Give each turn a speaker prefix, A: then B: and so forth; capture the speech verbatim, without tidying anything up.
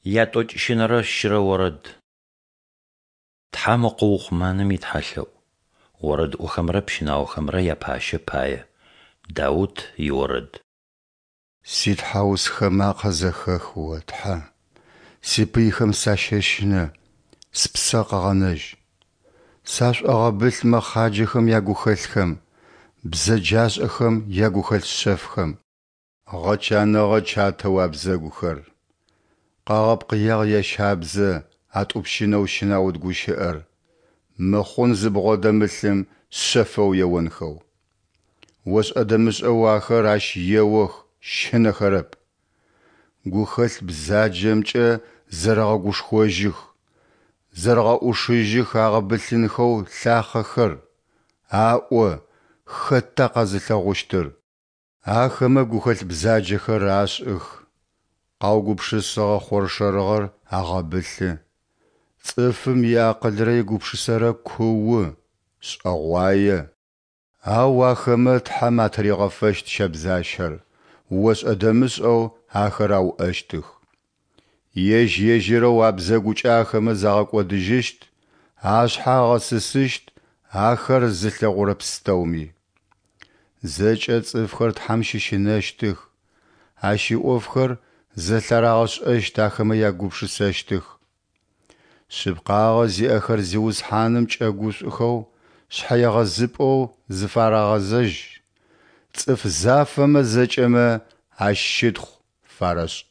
A: Ятӏокӏищынэрэ щырэ орэд. Тхьэм укъыухъумэным итхьэлъэӏу. Орэдыӏохэмрэ пщынаохэмрэ япащэ пае. Даут иорэд.
B: Ситхьаусхэ макъэ зэхэх О, Тхьэ, сипыйхэм сащэщынэ, спсэ къэгъэнэжь. Сашӏогъэбылъ мэхъаджэхэм ягухэлъхэм, бзэджашӏэхэм ягухэлъ шъэфхэм. Гъэчаныгъэ чатэу абзэгухэр, Къагъэпкъыягъ ящабзэ атӏупщынэу щэнаут гущыӏэр мыхъун зыбгъодэмылъым шъэфэу еонхэу. Ошӏэ-дэмышӏэу ахэр ащ еох, щынэхэрэп. Гухэлъ бзаджэмкӏэ зэрэгъэгушхожьых, Зэрэгъэӏушыжьых агъэбылъынхэу лъахъэхэр, Аӏо: Хэта къэзылъэгъущтыр? Ахэмэ гухэлъ бзаджэхэр ашӏых, Къаугупшысыгъэ хъоршэрыгъэр агъэбылъы. Цӏыфым иакъылрэ игупшысэрэ куу, шӏэгъуае. Ау ахэмэ Тхьэм атыригъэфэщт щэбзащэр, ошӏэ-дэмышӏэу ахэр ауӏэщтых. Ежь-ежьырэу абзэгукӏэ ахэмэ загъэкӏодыжьыщт, Ашъхьэ агъэсысыщт ахэр зылъэгъурэ пстэуми. Зэкӏэ цӏыфхэр Тхьэм щыщынэщтых, Ащ иӏофхэр зэлъарагъэшӏэщт ахэмэ ягупшысэщтых. Шъыпкъагъэ зиӏэхэр Зиусхьаным кӏэгушӏухэу шъхьэегъэзыпӏэу зыфарагъэзэжь, цӏыф зафэмэ зэкӏэмэ Ащ щытхъу фарэшӏ.